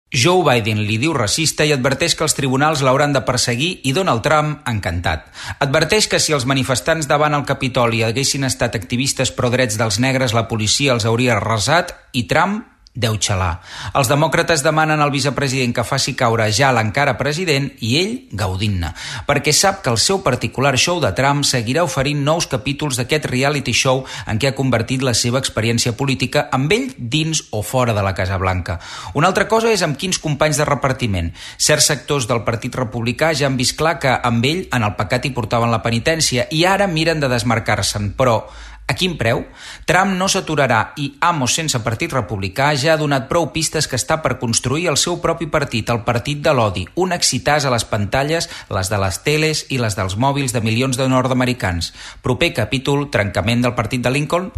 Joe Biden li diu racista i adverteix que els tribunals l'hauran de perseguir i Donald Trump, encantat. Adverteix que si els manifestants davant el Capitoli haguessin estat activistes pro drets dels negres, la policia els hauria arrasat i Trump deu xalar. Els demòcrates demanen al vicepresident que faci caure ja l'encara president i ell gaudint-ne, perquè sap que el seu particular show de Trump seguirà oferint nous capítols d'aquest reality show en què ha convertit la seva experiència política amb ell dins o fora de la Casa Blanca. Una altra cosa és amb quins companys de repartiment. Certs sectors del Partit Republicà ja han vist clar que amb ell en el pecat hi portaven la penitència i ara miren de desmarcar-se'n, però a quin preu? Trump no s'aturarà i Amos sense partit republicà ja ha donat prou pistes que està per construir el seu propi partit, el partit de l'odi, un excitàs a les pantalles, les de les teles i les dels mòbils de milions de nord-americans. Proper capítol, trencament del partit de Lincoln.